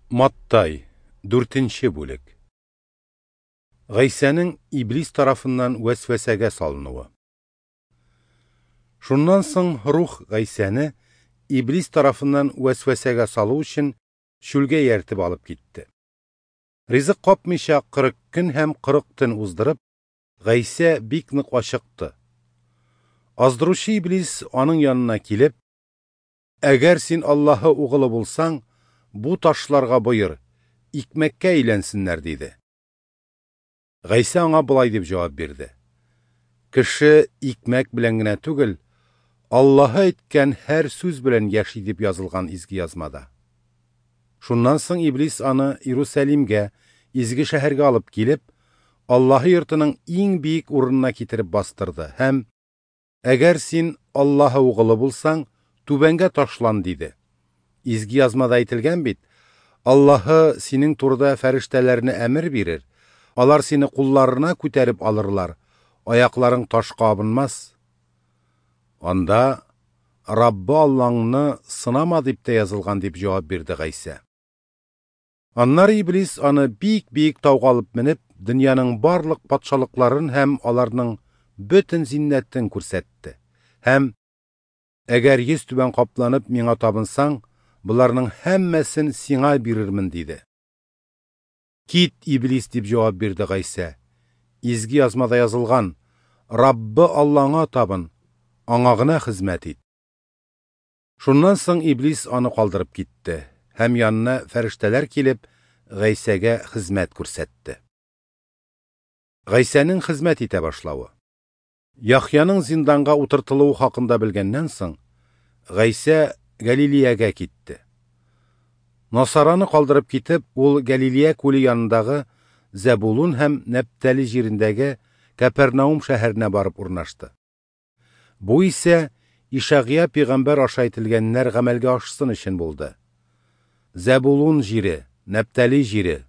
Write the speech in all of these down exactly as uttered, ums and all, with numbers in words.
Маттай, дүртенче бүлек. Гайсәнең Иблис тарафыннан вәсвәсәгә салынуы. Шуннан соң Рух Гайсәне Иблис тарафыннан вәсвәсәгә салу өчен чүлгә ияртеп алып китте. Ризык капмыйча кырык көн һәм кырык төн уздырып, Гайсә бик нык ачыкты. Аздыручы Иблис аның янына килеп: "Әгәр син Аллаһы угылы булсаң, бу ташларга боер, икмәккә әйләнсеннәр", диде. Гайсә аңа болай дип җавап бирде: "Кеше икмәк белән генә түгел, Аллаһы әйткән һәр сүз белән яши дип язылган изге язмада". Шуннан соң Иблис аны Иерусалимгә, изге шәһәргә алып килеп, Аллаһы йортының иң биек урынына китереп бастырды һәм: "Әгәр син Аллаһы угылы булсаң, түбәнгә ташлан", диде. Изге язмада әйтелгән бит: "Аллаһы синең турыда фәрештәләренә әмер бирер, алар сине кулларына күтәреп алырлар, аякларың ташка абынмас". Анда: "Раббы Аллаңны сынама" дип тә язылган, дип җавап бирде Гайсә. Аннары Иблис аны бик-биек тауга алып менеп, дөньяның барлык патшалыкларын һәм аларның бөтен зиннәтен күрсәтте. Һәм: "Әгәр йөз түбән капланып миңа табынсаң, боларның һәммәсен сиңа бирермен", диде. "Кит, Иблис", дип җавап бирде Гайсә. "Изге язмада язылган: Раббы Аллаңа табын, аңа гына хезмәт ит". Шуннан соң Иблис аны калдырып китте, һәм янына фәрештәләр килеп, Гайсәгә хезмәт күрсәтте. Гайсәнең хезмәт итә башлавы. Яхъяның зинданга утыртылуы хакында белгәннән соң, Гайсә Галилеягә китте. Насараны калдырып китеп, ул Галилея күле янындагы Зәбулун һәм Нәптали җирендәге Кәпернаум шәһәренә барып урнашты. Бу исә Ишагыя пәйгамбәр аша әйтелгәннәр гамәлгә ашсын өчен булды. Зәбулун җире, Нәптали җире,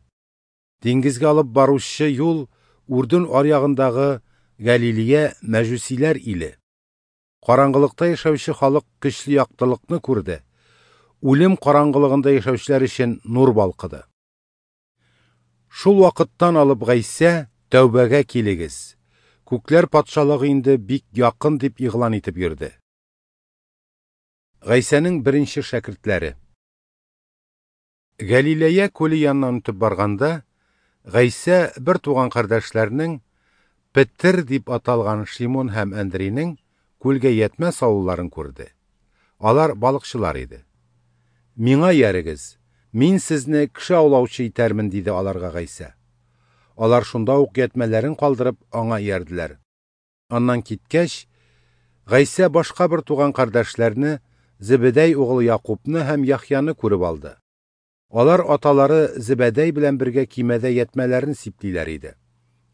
диңгезгә алып баручы юл Үрдүн аръягындагы Галилея мәҗүсиләр иле. Караңгылыкта яшәүче халык көчле яктылыкны күрде. Үлем караңгылыгында яшәүчеләр өчен нур балкыды. Шул вакыттан алып Гайсә: "Тәүбәгә килегез, күкләр патшалыгы инде бик якын", дип игълан итеп йөрде. Гайсәнең беренче шәкертләре. Галилея күле яныннан үтеп барганда, Гайсә бер туган кардәшләренең Петер дип аталган Шимон һәм Андрейның күлгә ятмә салуларын күрде. Алар балыкчылар иде. "Миңа иярегез, мин сезне кеше аулаучы итәрмен", диде аларга Гайсә. Алар шунда ук ятмәләрен калдырып аңа иярделәр. Аннан киткәч, Гайсә башка бер туган кардәшләрне, Зебедәй угылы Якубны һәм Яхъяны күреп алды. Алар аталары Зебедәй белән бергә кимәдә ятмәләрен сиплиләр иде.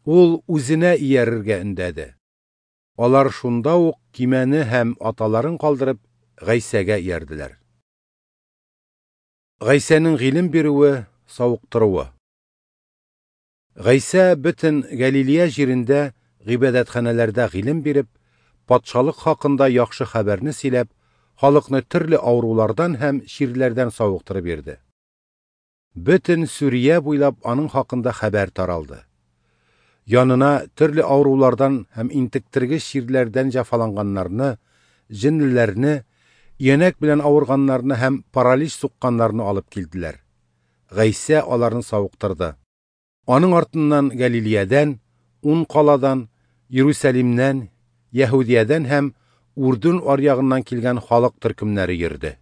Ул үзенә иярергә өндәде. Алар шунда ук кимәне һәм аталарын калдырып Гайсәгә иярделәр. Гайсәнең гыйлем бирүе, савыктыруы. Гайсә бөтен Галилея җирендә гыйбадәтханәләрдә гыйлем биреп, патшалык хакында яхшы хәбәрне сөйләп, халыкны төрле авырулардан һәм чирләрдән савыктырып йөрде. Бөтен Сүрия буйлап аның хакында хәбәр таралды. Янына төрле авырулардан һәм интектергеч чирләрдән җәфаланганнарны, җенлеләрне, өянәк белән авырганнарны һәм паралич сукканнарны алып килделәр. Гайсә аларны савыктырды. Аның артыннан Галилеядән, ун каладан, Иерусалимнән, Яһүдиядән һәм Үрдүн аръягыннан килгән халык төркемнәре йөрде.